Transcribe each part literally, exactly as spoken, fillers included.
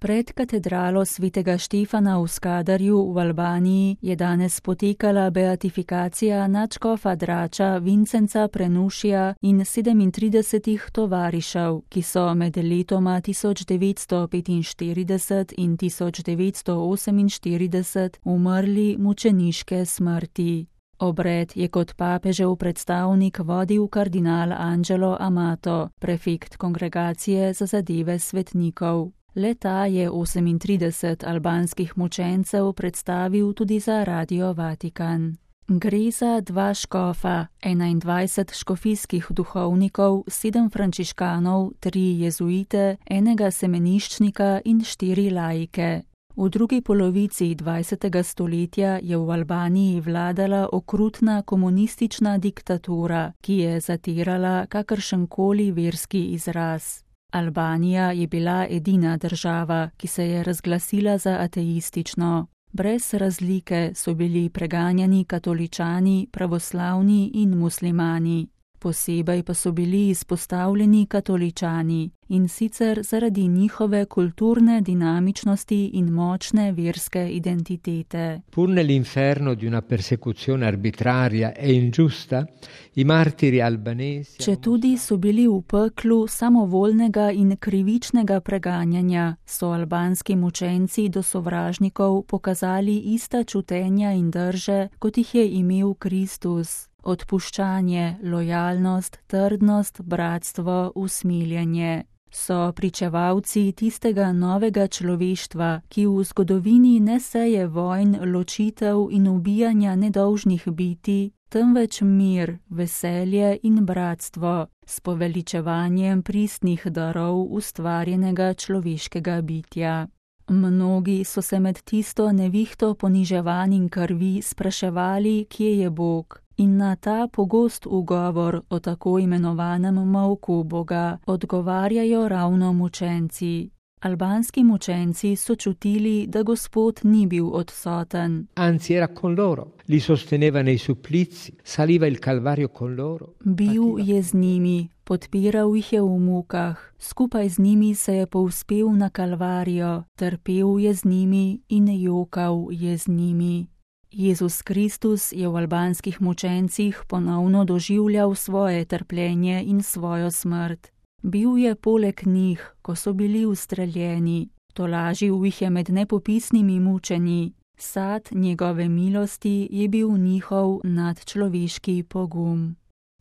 Pred katedralo svetega Štefana v Skadarju v Albaniji je danes potekala beatifikacija nadškofa Drača Vincenca Prenušija in sedemintridesetih tovarišev, ki so med letoma tisoč devetsto petinštirideset in tisoč devetsto oseminštirideset umrli mučeniške smrti. Obred je kot papežev predstavnik vodil kardinal Angelo Amato, prefekt kongregacije za zadeve svetnikov. Le-ta je osemintrideset albanskih mučencev predstavil tudi za Radio Vatikan. Gre za dva škofa, enaindvajset škofijskih duhovnikov, sedem frančiškanov, tri jezuite, enega semeniščnika in štiri laike. V drugi polovici dvajsetega stoletja je v Albaniji vladala okrutna komunistična diktatura, ki je zatirala kakršenkoli verski izraz. Albanija je bila edina država, ki se je razglasila za ateistično. Brez razlike so bili preganjani katoličani, pravoslavni in muslimani. Posebej pa so bili izpostavljeni katoličani, in sicer zaradi njihove kulturne dinamičnosti in močne verske identitete. Pur nell'inferno di una persecuzione arbitraria e ingiusta, i martiri albanesi... Četudi so bili v peklu samovoljnega in krivičnega preganjanja, so albanski mučenci do sovražnikov pokazali ista čutenja in drže, kot jih je imel Kristus. Odpuščanje, lojalnost, trdnost, bratstvo, usmiljenje. So pričevalci tistega novega človeštva, ki v zgodovini ne seje vojn, ločitev in ubijanja nedolžnih biti, temveč mir, veselje in bratstvo, s poveličevanjem pristnih darov ustvarjenega človeškega bitja. Mnogi so se med tisto nevihto poniževanj in krvi spraševali, kje je Bog. In na ta pogost ugovor o tako imenovanem molku Boga odgovarjajo ravno mučenci. Albanski mučenci so čutili, da Gospod ni bil odsoten. Anzi, era con loro, li sosteneva nei supplizi, saliva il Calvario con loro. Bil je z njimi, podpiral jih je v mukah, skupaj z njimi se je povzpel na Kalvarijo, trpel je z njimi in jokal je z njimi. Jezus Kristus je v albanskih mučencih ponovno doživljal svoje trpljenje in svojo smrt. Bil je poleg njih, ko so bili ustreljeni, tolažil jih je med nepopisnimi mučenji. Sad njegove milosti je bil njihov nadčloveški pogum.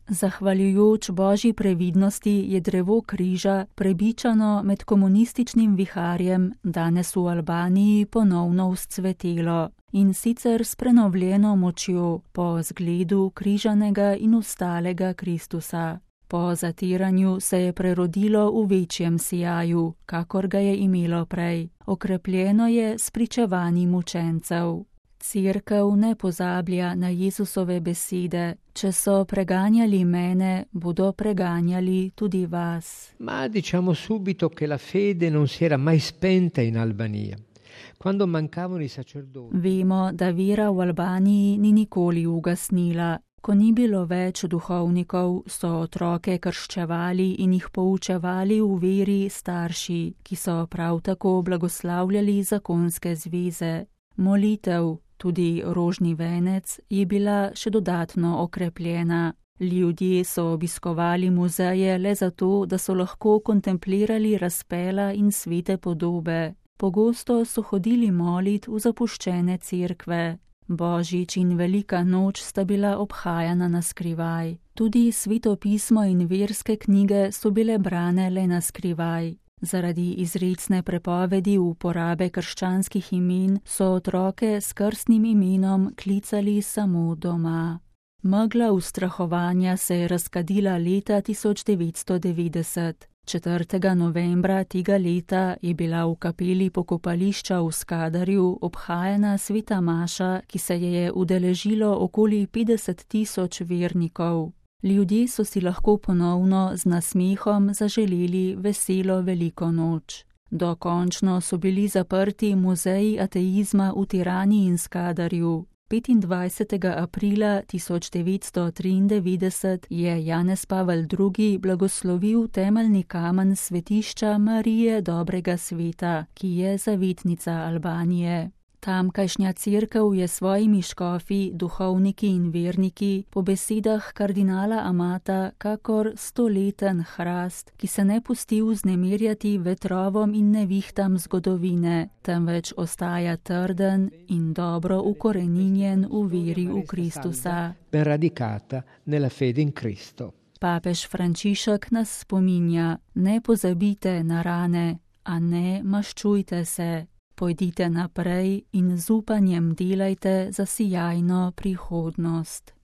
Zahvaljujoč Božji previdnosti je drevo križa, prebičano med komunističnim viharjem, danes v Albaniji ponovno vzcvetelo. In sicer s prenovljeno močjo po zgledu križanega in ustalega Kristusa. Po zatiranju se je prerodilo v večjem sijaju, kakor ga je imelo prej. Okrepljeno je s pričevanji mučencev. Cerkev ne pozablja na Jezusove besede: če so preganjali mene, bodo preganjali tudi vas. Ma diciamo subito che la fede non si era mai spenta in Albania. Quando mancavano i sacerdoti. Vemo, da vera v Albaniji ni nikoli ugasnila. Ko ni bilo več duhovnikov, so otroke krščevali in jih poučevali v veri starši, ki so prav tako blagoslavljali zakonske zveze. Molitev, tudi rožni venec, je bila še dodatno okrepljena. Ljudje so obiskovali muzeje le zato, da so lahko kontemplirali razpela in svete podobe. Pogosto so hodili molit v zapuščene cerkve. Božič in Velika noč sta bila obhajana na skrivaj. Tudi Sveto pismo in verske knjige so bile brane le na skrivaj. Zaradi izrecne prepovedi uporabe krščanskih imen so otroke s krstnim imenom klicali samo doma. Megla ustrahovanja se je razkadila leta tisoč devetsto devetdeset. četrtega novembra tega leta je bila v kapeli pokopališča v Skadarju obhajana sveta maša, ki se je je udeležilo okoli petdeset tisoč vernikov. Ljudje so si lahko ponovno z nasmehom zaželeli veselo veliko noč. Dokončno so bili zaprti muzeji ateizma v Tirani in Skadarju. petindvajsetega aprila tisoč devetsto triindevetdeset je Janez Pavel drugi blagoslovil temeljni kamen svetišča Marije dobrega sveta, ki je zavetnica Albanije. Tamkajšnja cerkev je svojimi škofi, duhovniki in verniki po besedah kardinala Amata kakor stoleten hrast, ki se ne pusti vznemirjati vetrovom in nevihtam zgodovine, temveč ostaja trden in dobro ukoreninjen v veri v Kristusa. Ben radicata nella fede in Cristo. Papež Frančišek nas spominja: ne pozabite na rane, a ne maščujte se. Pojdite naprej in z upanjem delajte za sijajno prihodnost.